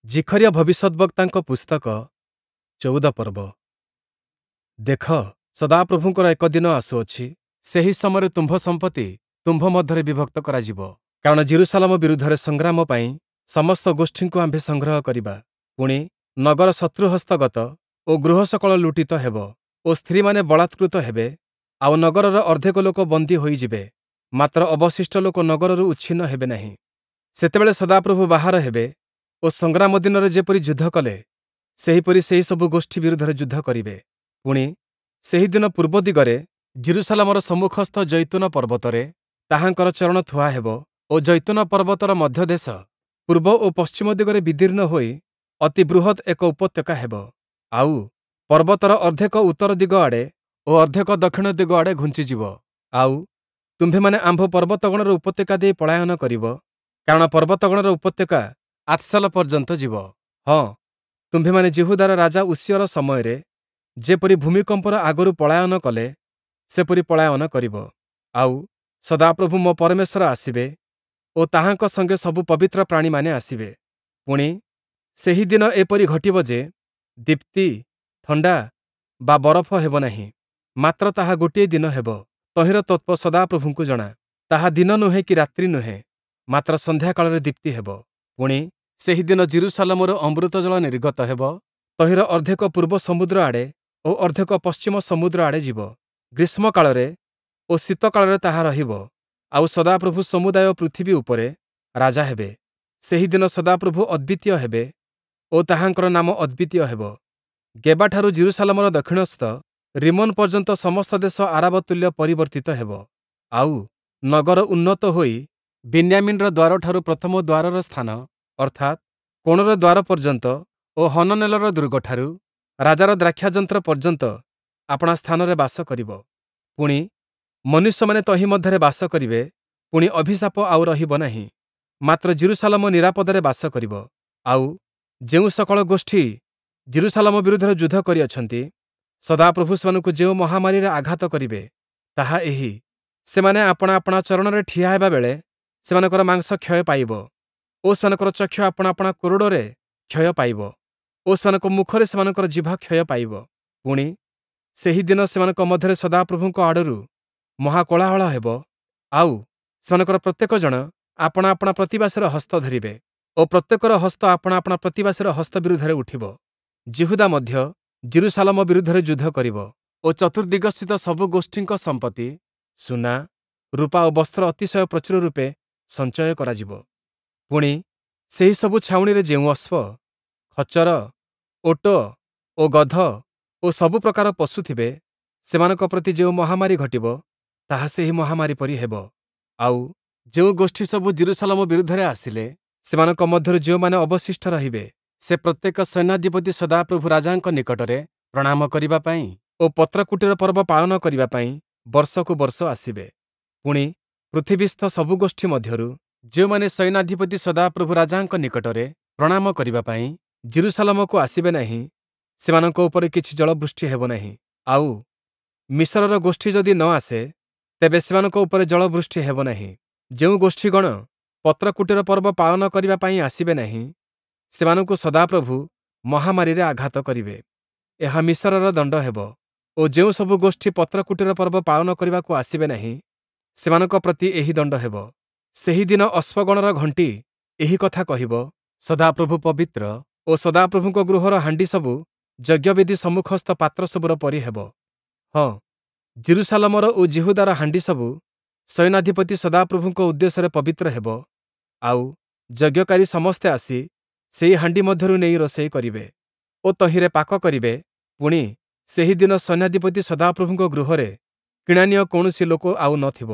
ଜିଖରିୟ ଭବିଷ୍ୟଦ୍‌ବକ୍ତାଙ୍କ ପୁସ୍ତକ ୧୪ ପର୍ବ। ଦେଖ, ସଦାପ୍ରଭୁଙ୍କର ଏକ ଦିନ ଆସୁଅଛି, ସେହି ସମୟରେ ତୁମ୍ଭ ସମ୍ପତ୍ତି ତୁମ୍ଭ ମଧ୍ୟରେ ବିଭକ୍ତ କରାଯିବ। କାରଣ ଯିରୂଶାଲମ ବିରୁଦ୍ଧରେ ସଂଗ୍ରାମ ପାଇଁ ସମସ୍ତ ଗୋଷ୍ଠୀଙ୍କୁ ଆମ୍ଭେ ସଂଗ୍ରହ କରିବା। ପୁଣି, ନଗର ଶତ୍ରୁ ହସ୍ତଗତ ଓ ଗୃହ ସକଳ ଲୁଟିତ ହେବ ଓ ସ୍ତ୍ରୀମାନେ ବଳାତ୍କୃତ ହେବେ, ଆଉ ନଗରର ଅର୍ଦ୍ଧେକ ଲୋକ ବନ୍ଦୀ ହୋଇଯିବେ, ମାତ୍ର ଅବଶିଷ୍ଟ ଲୋକ ନଗରରୁ ଉଚ୍ଛିନ୍ନ ହେବେ ନାହିଁ। ସେତେବେଳେ ସଦାପ୍ରଭୁ ବାହାର ହେବେ ଓ ସଂଗ୍ରାମ ଦିନରେ ଯେପରି ଯୁଦ୍ଧ କଲେ, ସେହିପରି ସେହିସବୁ ଗୋଷ୍ଠୀ ବିରୁଦ୍ଧରେ ଯୁଦ୍ଧ କରିବେ। ପୁଣି, ସେହିଦିନ ପୂର୍ବ ଦିଗରେ ଯିରୂଶାଲମର ସମ୍ମୁଖସ୍ଥ ଜୈତୂନ ପର୍ବତରେ ତାହାଙ୍କର ଚରଣ ଥୁଆ ହେବ ଓ ଜୈତୂନ ପର୍ବତର ମଧ୍ୟଦେଶ ପୂର୍ବ ଓ ପଶ୍ଚିମ ଦିଗରେ ବିଦୀର୍ଣ୍ଣ ହୋଇ ଅତି ବୃହତ୍ ଏକ ଉପତ୍ୟକା ହେବ। ଆଉ ପର୍ବତର ଅର୍ଦ୍ଧେକ ଉତ୍ତର ଦିଗ ଆଡ଼େ ଓ ଅର୍ଦ୍ଧେକ ଦକ୍ଷିଣ ଦିଗ ଆଡ଼େ ଘୁଞ୍ଚିଯିବ। ଆଉ ତୁମ୍ଭେମାନେ ଆମ୍ଭ ପର୍ବତଗଣର ଉପତ୍ୟକା ଦେଇ ପଳାୟନ କରିବ, କାରଣ ପର୍ବତଗଣର ଉପତ୍ୟକା ଆତ୍ସଲ ପର୍ଯ୍ୟନ୍ତ ଯିବ। ହଁ, ତୁମ୍ଭେମାନେ ଯିହୁଦାର ରାଜା ଉଷିୟର ସମୟରେ ଯେପରି ଭୂମିକମ୍ପର ଆଗରୁ ପଳାୟନ କଲେ, ସେପରି ପଳାୟନ କରିବ। ଆଉ ସଦାପ୍ରଭୁ ମୋ ପରମେଶ୍ୱର ଆସିବେ ଓ ତାହାଙ୍କ ସଙ୍ଗେ ସବୁ ପବିତ୍ର ପ୍ରାଣୀମାନେ ଆସିବେ। ପୁଣି, ସେହି ଦିନ ଏପରି ଘଟିବ ଯେ, ଦୀପ୍ତି, ଥଣ୍ଡା ବା ବରଫ ହେବ ନାହିଁ, ମାତ୍ର ତାହା ଗୋଟିଏ ଦିନ ହେବ, ତହିଁର ତତ୍ତ୍ୱ ସଦାପ୍ରଭୁଙ୍କୁ ଜଣା। ତାହା ଦିନ ନୁହେଁ କି ରାତ୍ରି ନୁହେଁ, ମାତ୍ର ସନ୍ଧ୍ୟାକାଳରେ ଦୀପ୍ତି ହେବ। ପୁଣି, ସେହିଦିନ ଯିରୂଶାଲମରୁ ଅମୃତ ଜଳ ନିର୍ଗତ ହେବ, ତହିଁର ଅର୍ଦ୍ଧେକ ପୂର୍ବ ସମୁଦ୍ର ଆଡ଼େ ଓ ଅର୍ଦ୍ଧେକ ପଶ୍ଚିମ ସମୁଦ୍ର ଆଡ଼େ ଯିବ। ଗ୍ରୀଷ୍ମକାଳରେ ଓ ଶୀତକାଳରେ ତାହା ରହିବ, ଆଉ ସଦାପ୍ରଭୁ ସମୁଦାୟ ପୃଥିବୀ ଉପରେ ରାଜା ହେବେ। ସେହିଦିନ ସଦାପ୍ରଭୁ ଅଦ୍ୱିତୀୟ ହେବେ ଓ ତାହାଙ୍କର ନାମ ଅଦ୍ୱିତୀୟ ହେବ। ଗେବାଠାରୁ ଯିରୂଶାଲମର ଦକ୍ଷିଣସ୍ଥ ରିମୋନ ପର୍ଯ୍ୟନ୍ତ ସମସ୍ତ ଦେଶ ଆରାବ ତୁଲ୍ୟ ପରିବର୍ତ୍ତିତ ହେବ। ଆଉ ନଗର ଉନ୍ନତ ହୋଇ ବିନ୍ୟାମୀନ୍‌ର ଦ୍ୱାରଠାରୁ ପ୍ରଥମ ଦ୍ୱାରର ସ୍ଥାନ, ଅର୍ଥାତ୍, କୋଣର ଦ୍ୱାର ପର୍ଯ୍ୟନ୍ତ ଓ ହନନେଲର ଦୁର୍ଗଠାରୁ ରାଜାର ଦ୍ରାକ୍ଷାଯନ୍ତ୍ର ପର୍ଯ୍ୟନ୍ତ ଆପଣା ସ୍ଥାନରେ ବାସ କରିବ। ପୁଣି, ମନୁଷ୍ୟମାନେ ତହିଁ ମଧ୍ୟରେ ବାସ କରିବେ, ପୁଣି ଅଭିଶାପ ଆଉ ରହିବ ନାହିଁ, ମାତ୍ର ଯିରୂଶାଲମ ନିରାପଦରେ ବାସ କରିବ। ଆଉ ଯେଉଁ ସକଳ ଗୋଷ୍ଠୀ ଯିରୂଶାଲମ ବିରୁଦ୍ଧରେ ଯୁଦ୍ଧ କରିଅଛନ୍ତି, ସଦାପ୍ରଭୁ ସେମାନଙ୍କୁ ଯେଉଁ ମହାମାରୀରେ ଆଘାତ କରିବେ, ତାହା ଏହି: ସେମାନେ ଆପଣା ଆପଣା ଚରଣରେ ଠିଆ ହେବା ବେଳେ ସେମାନଙ୍କର ମାଂସ କ୍ଷୟ ପାଇବ ଓ ସେମାନଙ୍କର ଚକ୍ଷୁ ଆପଣା ଆପଣା କୋରଡ଼ରେ କ୍ଷୟ ପାଇବ ଓ ସେମାନଙ୍କ ମୁଖରେ ସେମାନଙ୍କର ଜିଭ କ୍ଷୟ ପାଇବ। ପୁଣି, ସେହି ଦିନ ସେମାନଙ୍କ ମଧ୍ୟରେ ସଦାପ୍ରଭୁଙ୍କ ଆଡ଼ରୁ ମହାକୋଳାହଳ ହେବ, ଆଉ ସେମାନଙ୍କର ପ୍ରତ୍ୟେକ ଜଣ ଆପଣା ଆପଣା ପ୍ରତିବାସୀର ହସ୍ତ ଧରିବେ ଓ ପ୍ରତ୍ୟେକର ହସ୍ତ ଆପଣା ଆପଣା ପ୍ରତିବାସୀର ହସ୍ତ ବିରୁଦ୍ଧରେ ଉଠିବ। ଯିହୁଦା ମଧ୍ୟ ଯିରୂଶାଲମ ବିରୁଦ୍ଧରେ ଯୁଦ୍ଧ କରିବ ଓ ଚତୁର୍ଦ୍ଦିଗସ୍ଥିତ ସବୁ ଗୋଷ୍ଠୀଙ୍କ ସମ୍ପତ୍ତି, ସୁନା, ରୂପା ଓ ବସ୍ତ୍ର ଅତିଶୟ ପ୍ରଚୁର ରୂପେ ସଞ୍ଚୟ କରାଯିବ। ପୁଣି, ସେହିସବୁ ଛାଉଣିରେ ଯେଉଁ ଅଶ୍ୱ, ଖଚ୍ଚର, ଓଟ ଓ ଗଧ ଓ ସବୁ ପ୍ରକାର ପଶୁ ଥିବେ, ସେମାନଙ୍କ ପ୍ରତି ଯେଉଁ ମହାମାରୀ ଘଟିବ, ତାହା ସେହି ମହାମାରୀ ପରି ହେବ। ଆଉ ଯେଉଁ ଗୋଷ୍ଠୀ ସବୁ ଯିରୂଶାଲମ ବିରୁଦ୍ଧରେ ଆସିଲେ, ସେମାନଙ୍କ ମଧ୍ୟରୁ ଯେଉଁମାନେ ଅବଶିଷ୍ଟ ରହିବେ, ସେ ପ୍ରତ୍ୟେକ ସୈନ୍ୟାଧିପତି ସଦାପ୍ରଭୁ ରାଜାଙ୍କ ନିକଟରେ ପ୍ରଣାମ କରିବା ପାଇଁ ଓ ପତ୍ରକୁଟୀର ପର୍ବ ପାଳନ କରିବା ପାଇଁ ବର୍ଷକୁ ବର୍ଷ ଆସିବେ। ପୁଣି, ପୃଥିବୀସ୍ଥ ସବୁ ଗୋଷ୍ଠୀ ମଧ୍ୟରୁ ଯେଉଁମାନେ ସୈନ୍ୟାଧିପତି ସଦାପ୍ରଭୁ ରାଜାଙ୍କ ନିକଟରେ ପ୍ରଣାମ କରିବା ପାଇଁ ଯିରୂଶାଲମକୁ ଆସିବେ ନାହିଁ, ସେମାନଙ୍କ ଉପରେ କିଛି ଜଳବୃଷ୍ଟି ହେବ ନାହିଁ। ଆଉ ମିଶରର ଗୋଷ୍ଠୀ ଯଦି ନ ଆସେ, ତେବେ ସେମାନଙ୍କ ଉପରେ ଜଳବୃଷ୍ଟି ହେବ ନାହିଁ। ଯେଉଁ ଗୋଷ୍ଠୀଗଣ ପତ୍ରକୁଟୀର ପର୍ବ ପାଳନ କରିବା ପାଇଁ ଆସିବେ ନାହିଁ, ସେମାନଙ୍କୁ ସଦାପ୍ରଭୁ ମହାମାରୀରେ ଆଘାତ କରିବେ। ଏହା ମିଶରର ଦଣ୍ଡ ହେବ। ଓ ଯେଉଁ ସବୁ ଗୋଷ୍ଠୀ ପତ୍ରକୁଟୀର ପର୍ବ ପାଳନ କରିବାକୁ ଆସିବେ ନାହିଁ, ସେମାନଙ୍କ ପ୍ରତି ଏହି ଦଣ୍ଡ ହେବ। ସେହିଦିନ ଅଶ୍ୱଗଣର ଘଣ୍ଟି ଏହି କଥା କହିବ, ସଦାପ୍ରଭୁ ପବିତ୍ର ଓ ସଦାପ୍ରଭୁଙ୍କ ଗୃହର ହାଣ୍ଡି ସବୁ ଯଜ୍ଞବେଦି ସମ୍ମୁଖସ୍ଥ ପାତ୍ର ସବୁର ପରି ହେବ। ହଁ, ଯିରୂଶାଲମର ଓ ଯିହୁଦାର ହାଣ୍ଡି ସବୁ ସୈନ୍ୟାଧିପତି ସଦାପ୍ରଭୁଙ୍କ ଉଦ୍ଦେଶ୍ୟରେ ପବିତ୍ର ହେବ, ଆଉ ଯଜ୍ଞକାରୀ ସମସ୍ତେ ଆସି ସେହି ହାଣ୍ଡି ମଧ୍ୟରୁ ନେଇ ରୋଷେଇ କରିବେ ଓ ତହିଁରେ ପାକ କରିବେ। ପୁଣି, ସେହିଦିନ ସୈନ୍ୟାଧିପତି ସଦାପ୍ରଭୁଙ୍କ ଗୃହରେ କିଣାନୀୟ କୌଣସି ଲୋକ ଆଉ ନ ଥିବ।